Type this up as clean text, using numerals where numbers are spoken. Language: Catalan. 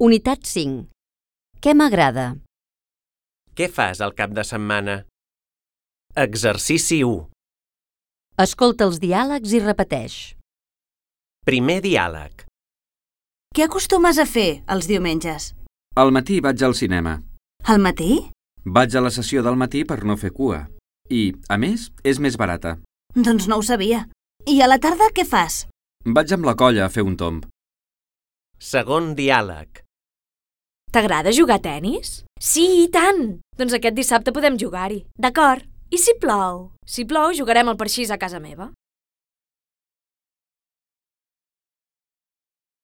Unitat 5. Què m'agrada? Què fas al cap de setmana? Exercici 1. Escolta els diàlegs i repeteix. Primer diàleg. Què acostumes a fer els diumenges? Al matí vaig al cinema. Al matí? Vaig a la sessió del matí per no fer cua. I, a més, és més barata. Doncs no ho sabia. I a la tarda què fas? Vaig amb la colla a fer un tomb. Segon diàleg. T'agrada jugar a tennis? Sí, i tant! Doncs aquest dissabte podem jugar-hi. D'acord. I si plou? Si plou, jugarem al parxís a casa meva.